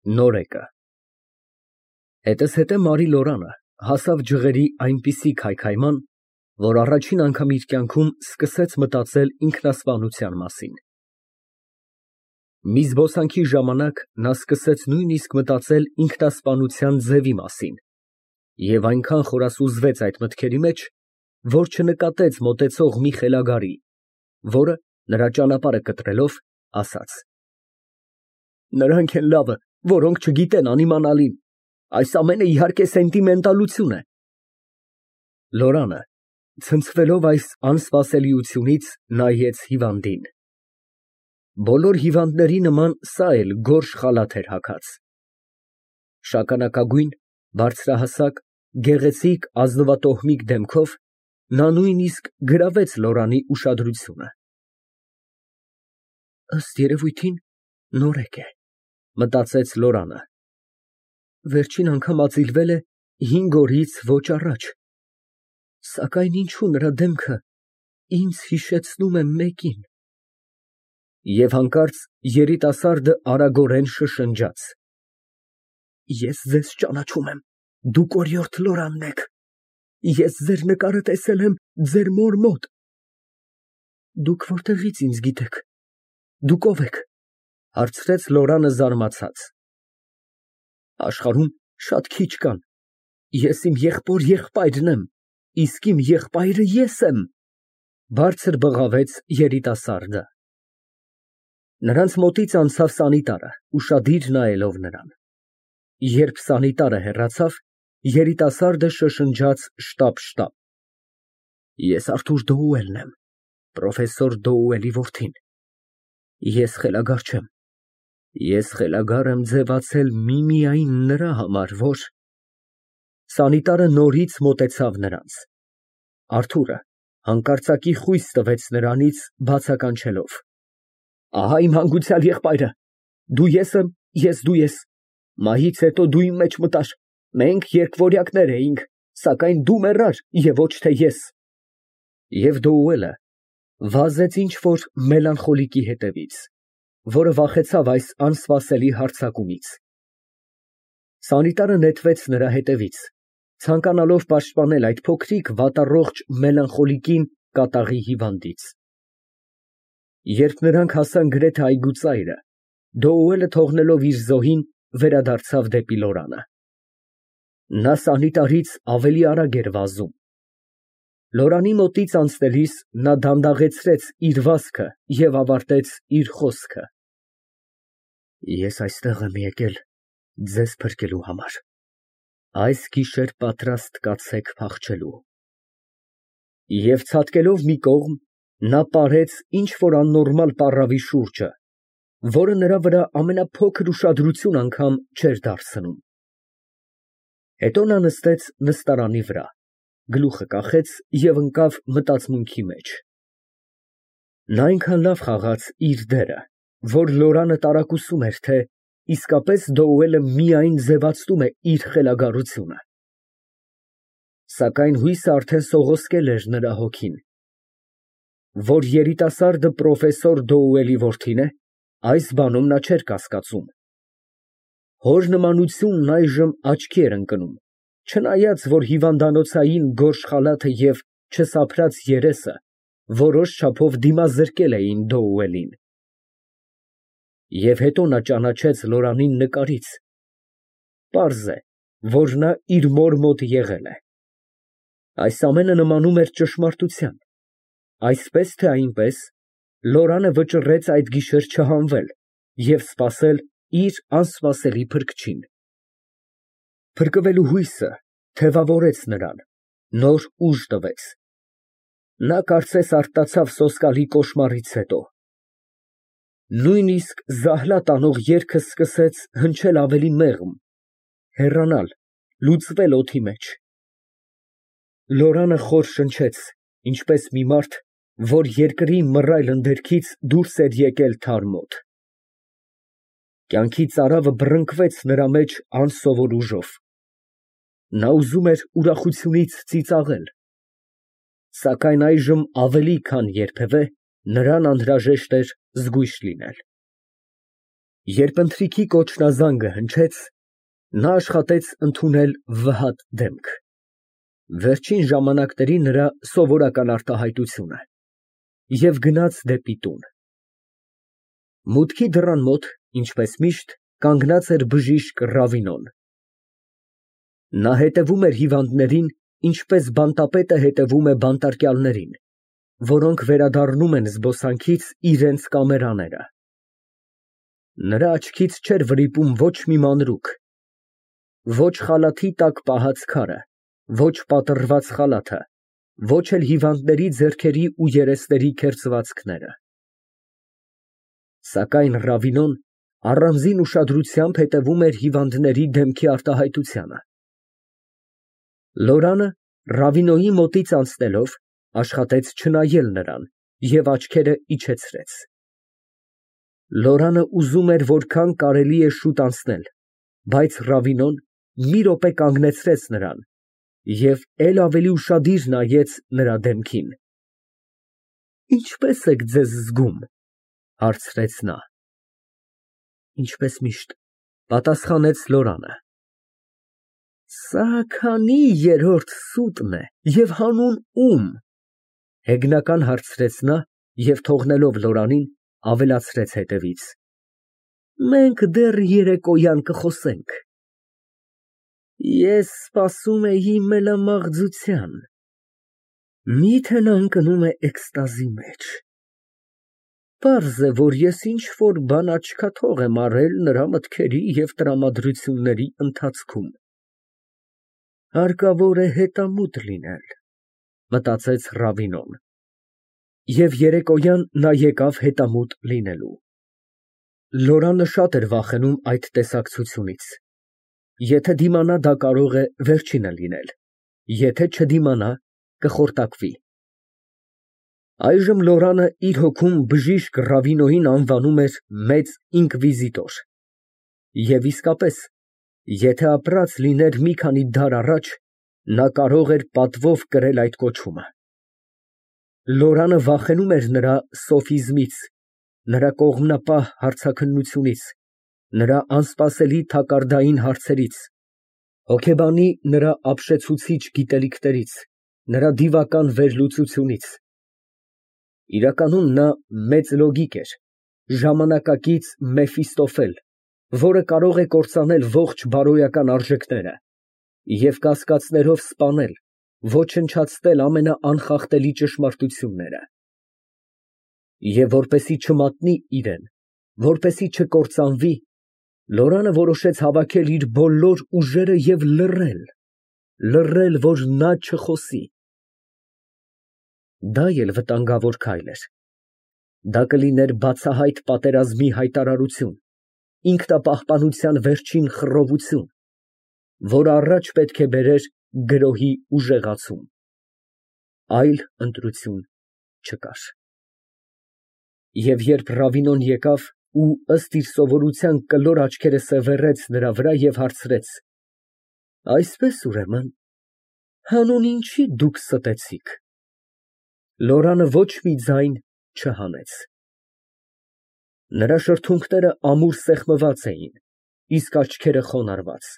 Նորեկը Հետզհետե Մարի Լորանը հասավ ջղերի այնպիսի քայքայման, որ առաջին անգամ իր կյանքում սկսեց մտածել ինքնասպանության մասին։ Մի զբոսանքի ժամանակ նա սկսեց նույնիսկ մտածել ինքնասպանության ձևի մասին և այնքան խորասուզվեց այդ մտքերի մեջ, որ չնկատեց մոտեցող մի խելագարի, որը նրա ճանապարհը կտրելով, ասաց. Նրանք են լավը, որոնք չգիտեն անիմանալին, այս ամենը իհարկե սենտիմենտալություն է։ Լորանը, ցնցվելով այս անսպասելիությունից, նայեց հիվանդին։ Բոլոր հիվանդների նման սա էլ գորշ խալաթ էր հագած։ Շագանակագույն, բարձրահասակ, գեղեցիկ ազնվատոհմիկ դեմքով նա նույնիսկ գրավեց Լորանի ուշադրությունը։ Ըստ երևույթին նորեկ է, մտածեց Լորանը։ Վերջին անգամ ածիլվել է 5 օրից ոչ առաջ, սակայն ինչու նրա դեմքը ինձ հիշեցնում է մեկին։ Եվ հանկարծ երիտասարդը արագորեն շշնջաց. Ես ձեզ ճանաչում եմ, դուք օրիորդ Լորանն եք, ես ձեր նկարը տեսել եմ ձեր մոր մոտ։ Դուք որտեղից ինձ գիտեք, դուք ով եք, հարցրեց Լորանը զարմացած։ Աշխարհում շատ քիչ կան, ես իմ եղբայրն եմ, իսկ իմ եղբայրը ես եմ, բարձր բղավեց երիտասարդը։ Նրանց մոտից անցավ սանիտարը, ուշադիր նայելով նրան։ Երբ սանիտարը հեռացավ, երիտասարդը շշնջաց շտապ։ Ես Արթուր Դոուելն եմ, պրոֆեսոր Դոուելի որդին։ Ես խելագար չեմ։ Ես խելագար եմ ձևացել միմիայն նրա համար, որ… Սանիտարը նորից մոտեցավ նրանց։ Արթուրը հանկարծակի խույս տվեց նրանից, բացականչելով. Ահա իմ հանգուցյալ եղբայրը, դու ես եմ, ես դու ես, մահից հետո դու իմ մեջ մտար, մենք երկվորյակներ էինք, սակայն դու մեռար և ոչ թե ես։ Եվ Դոուելը վազեց ինչ֊որ մելանխոլիկի հետևից, որը վախեցավ այս անսպասելի հարձակումից։ Սանիտարը նետվեց նրա հետևից, ցանկանալով պաշտպանել այդ փոքրիկ վատառողջ մելանխոլիկին կատաղի հիվանդից։ Երբ նրանք հասան գրեթե այգուծայրը, Դոուելը թողնելով իր զոհին, վերադարձավ դեպի Լորանը։ Նա սանիտարից ավելի արագ էր վազում։ Լորանի մոտից անցնելիս նա դանդաղեցրեց իր վազքը և ավարտեց իր խոսքը. Ես այստեղ եմ եկել ձեզ փրկելու համար, այս գիշեր պատրաստ կացեք փախչելու։ Եվ ցատկելով մի կողմ, նա պարեց ինչ֊որ աննորմալ պառավի շուրջը, որը նրա վրա ամենափոքր ուշադրություն անգամ չէր դարձնում։ Հետո նա նստեց նստարանի վրա, գլուխը կախեց և ընկավ մտածմունքի մեջ։ Նա այնքան լավ խաղաց իր դերը, որ Լորանը տարակուսում էր, թե իսկապես Դոուելը միայն ձևացնում է իր խելագարությունը։ Սակայն հույսը արդեն սողոսկել էր նրա հոգին։ Որ երիտասարդը պրոֆեսոր Դոուելի որդին է, այս բանում նա չէր կասկածում։ Հոր նմանությունն այժմ աչքի էր ընկնում, չնայած որ հիվանդանոցային գորշ խալաթը և չսափրած երեսը որոշ չափով դիմազրկել էին Դոուելին։ Եվ հետո նա ճանաչեց Լորանին նկարից։ Պարզ է, որ նա իր մոր մոտ եղել է։ Այս ամենը նմանում էր ճշմարտության։ Այսպես թե այնպես, Լորանը վճռեց այդ գիշեր չհանվել և սպասել իր անսպասելի փրկչին։ Փրկվելու հույսը թևավորեց նրան, նոր ուժ տվեց։ Նա կարծես արթնացավ սոսկալի կոշմարից հետո։ Նույնիսկ զահլա տանող երգը սկսեց հնչել ավելի մեղմ, հեռանալ, լուծվել օդի մեջ։ Լորանը խոր շնչեց, ինչպես մի մարդ, որ երկրի մռայլ ընդերքից դուրս էր եկել թար մոտ։ Կյանքի ծարավը բռնկվեց նրա մեջ անսովոր ուժով։ Նա ուզում էր ուրախությունից ծիծաղել, սակայն այժմ ավելի քան երբևէ նրան անհրաժեշտ էր զգույշ լինել։ Երբ ընթրիքի կոչնազանգը հնչեց, նա աշխատեց ընդունել վհատ դեմք. վերջին ժամանակների նրա սովորական արտահայտությունը, և գնաց դեպի տուն։ Մուտքի դռան մոտ, ինչպես միշտ, կանգնած էր բժիշկ Ռավինոն։ Նա հետևում էր հիվանդներին, ինչպես բանտապետը հետևում է բանտարկյալներին, որոնք վերադառնում են զբոսանքից իրենց կամերաները։ Նրա աչքից չէր վրիպում ոչ մի մանրուք, ոչ խալաթի տակ պահած քարը, ոչ պատռված խալաթը, ոչ էլ հիվանդների ձեռքերի ու երեսների քերծվածքները։ Սակայն Ռավինոն առանձին ուշադրությամբ հետևում էր հիվանդների դեմքի արտահայտությանը։ Լորանը, Ռավինոյի մոտից անցնելով, աշխատեց չնայել նրան և աչքերը իջեցրեց։ Լորանը ուզում էր որքան կարելի է շուտ անցնել, բայց Ռավինոն մի րոպե կանգնեցրեց նրան և էլ ավելի ուշադիր նայեց նրա դեմքին։ «Ինչպե՞ս եք ձեզ զգում», ֊ հարցրեց նա։ «Ինչպես միշտ», ֊ պատասխանեց Լորանը։ «Սա քանի երրորդ սուտն է և հանուն ո՞ւմ», ֊ հեգնական հարցրեց նա և թողնելով Լորանին, ավելացրեց հետևից. «Մենք դեռ երեկոյան կխոսենք»։ Ես սպասում էի մելամաղձության, մի՞թե նա ընկնում է էքստազի մեջ։ Պարզ է, որ ես ինչ֊որ բան աչքաթող եմ արել նրա մտքերի և տրամադրությունների ընթացքում։ Հարկավոր է հետամուտ լինել, մտածեց Ռավինոն։ Եվ երեկոյան նա եկավ հետամուտ լինելու։ Լորանը շատ էր վախենում այդ տեսակցությունից։ Եթե դիմանա, դա կարող է վերջինը լինել, եթե չդիմանա, կխորտակվի։ Այժմ Լորանը իր հոգում բժիշկ Ռավինոյին անվանում էր մեծ ինկվիզիտոր։ Եվ իսկապես, եթե ապրած լիներ մի քանի դար առաջ, նա կարող էր պատվով կրել այդ կոչումը։ Լորանը վախենում էր նրա սոֆիզմից, նրա կողմնապահ հարցաքննությունից, նրա անսպասելի թակարդային հարցերից, հոգեբանի նրա ապշեցուցիչ գիտելիքներից, նրա դիվական վերլուծությունից։ Իրականում նա մեծ լոգիկ էր, ժամանակակից Մեֆիստոֆել, որը կարող է կործանել ողջ բարոյական արժեքները և կասկածներով սպանել, ոչնչացնել ամենաանխախտելի ճշմարտությունները։ Եվ որպեսզի չմատնի իրեն, որպեսզի չկործանվի, Լորանը որոշեց հավաքել իր բոլոր ուժերը և լռել, որ նա չխոսի։ Դա էլ վտանգավոր քայլ էր։ Դա կլիներ բացահայտ պատերազմի հայտարարություն, ինքնապահպանության վերջին խռովություն, որը առաջ պետք է բերեր գրոհի ուժեղացում։ Այլ ընտրություն չկար։ Եվ երբ Ռավինոն եկավ ու ըստ իր սովորության կլոր աչքերը սևեռեց նրա վրա և հարցրեց. «Այսպես ուրեմն, հանուն ինչի դուք ստեցիք»։ Լորանը ոչ մի ձայն չհանեց։ Նրա շրթունքները ամուր սեղմված էին, իսկ աչքերը խոնարհված։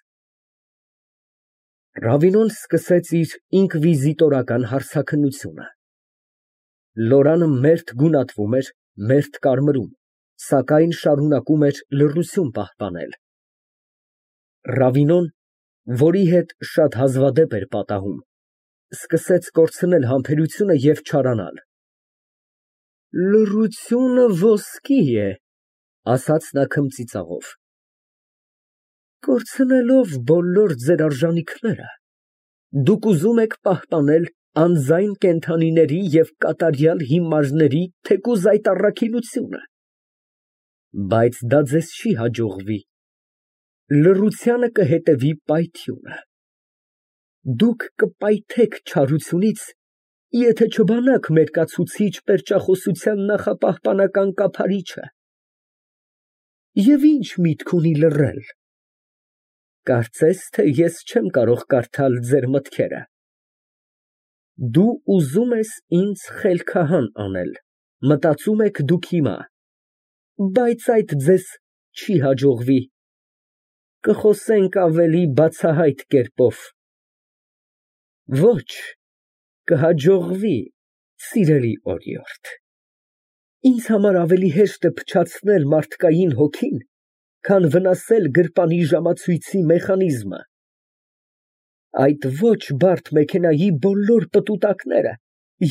Ռավինոն սկսեց իր ինկվիզիտորական հարցաքննությունը։ Լորանը մերթ գունատվում էր, մերթ կարմրում, սակայն շարունակում էր լռություն պահպանել։ Ռավինոն, որի հետ շատ հազվադեպ էր պատահում, սկսեց կորցնել համբերությունը և չարանալ։ «Լռությունը ոսկի է», ֊ ասաց նա քմծիծաղով։ «Կորցնելով բոլոր ձեր արժանիքները, դուք ուզում եք պահպանել անձայն կենդանիների և կատարյալ հիմարների թեկուզ այդ առաքինությունը։ Բայց դա ձեզ չի հաջողվի, լռությանը կհետևի պայթյունը։ Դուք կպայթեք չարությունից, եթե չբանաք մերկացուցիչ պերճախոսության նախապահպանական կափարիչը։ Եվ ի՞նչ միտք ունի լռել։ Կարծես թե ես չեմ կարող կարդալ ձեր մտքերը։ Դու ուզում ես ինձ խելքահան անել, մտածում եք դուք հիմա, բայց այդ ձեզ չի հաջողվի։ Կխոսենք ավելի բացահայտ կերպով։ Ոչ, կհաջողվի, սիրելի օրիորդ։ Ինձ համար ավելի հեշտ է փչացնել մարդկային հոգին, քան վնասել գրպանի ժամացույցի մեխանիզմը։ Այդ ոչ բարդ մեքենայի բոլոր պտուտակները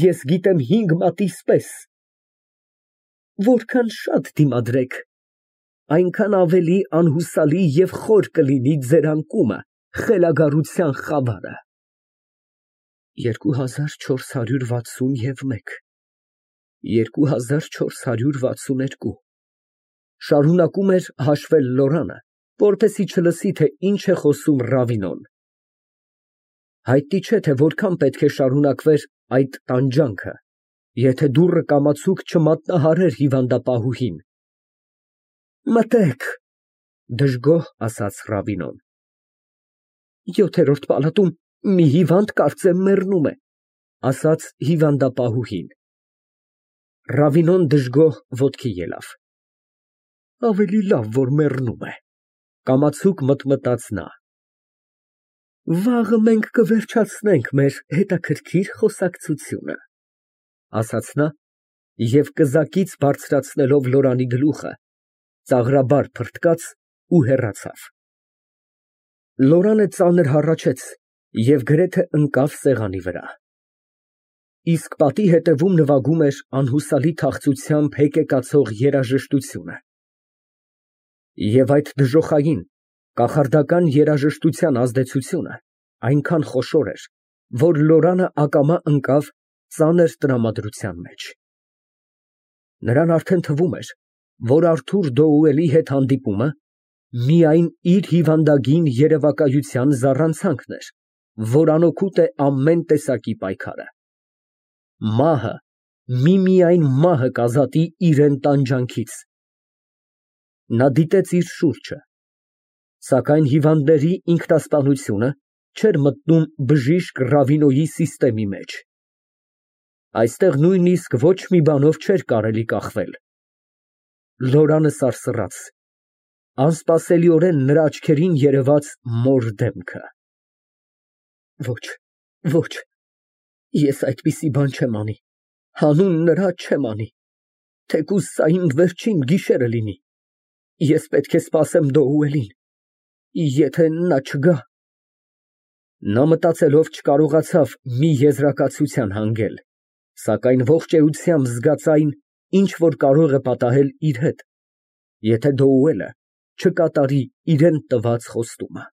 ես գիտեմ 5 մատից պես։ Որքան շատ դիմադրեք, այնքան ավելի անհուսալի և խոր կլինի ձեր անկումը, խելագարության խավարը։ 2461 2462 շարունակում էր հաշվել Լորանը, որպեսզի չլսի, թե ինչ է խոսում Ռավինոն։ Հայտնի չէ, թե որքան պետք է շարունակվեր այդ տանջանքը, եթե դուռը կամացուկ չմատնահարեր հիվանդապահուհին։ Մտեք, դժգոհ ասաց Ռաբինոն։ 7-րդ պալատում մի հիվանդ կարծեմ մեռնում է, ասաց հիվանդապահուհին։ Ռավինոն դժգոհ ոտքի ելավ։ Ավելի լավ, որ մեռնում է, կամացուկ մտմտաց նա։ Վաղը մենք կվերջացնենք մեր հետաքրքիր խոսակցությունը, ասաց նա և կզակից բարձրացնելով Լորանի գլուխը, ծաղրաբար փռթկաց ու հեռացավ։ Լորանը ծանր հառաչեց և գրեթե ընկավ սեղանի վրա։ Իսկ պատի հետևում նվագում էր անհուսալի թախծությամբ հեկեկացող երաժշտությունը։ Եվ այդ դժոխային, կախարդական երաժշտության ազդեցությունը այնքան խոշոր էր, որ Լորանը ակամա ընկավ ծանր տրամադրության մեջ։ Նրան արդեն թվում էր, որ Արթուր Դոուելի հետ հանդիպումը միայն իր հիվանդագին երևակայության զառանցանքն էր, որ անօգուտ է ամեն տեսակի պայքարը։ Մահը, միմիայն մահը կազատի իրան տանջանքից։ Նա դիտեց իր շուրջը, սակայն հիվանդների ինքնասպանությունը չէր մտնում բժիշկ Ռավինոյի սիստեմի մեջ։ Այստեղ նույնիսկ ոչ մի բանով չէր կարելի կախվել։ Լորանը սարսռաց, անսպասելիորեն նրա աչքերին երևաց մոր դեմքը։ Ոչ, ոչ, ես այդպիսի բան չեմ անի, հանուն նրա չեմ անի, թեկուզ սա իմ վերջին գիշերը լինի, ես պետք է սպասեմ Դոուելին, եթե նա չգա։ Նա մտածելով չկարողացավ մի եզրակացության հանգել, սակայն ողջ էությամբ զգաց այն, ինչ որ կարող է պատահել իր հետ, եթե Դոուելը չկատարի իրան տված խոստումը։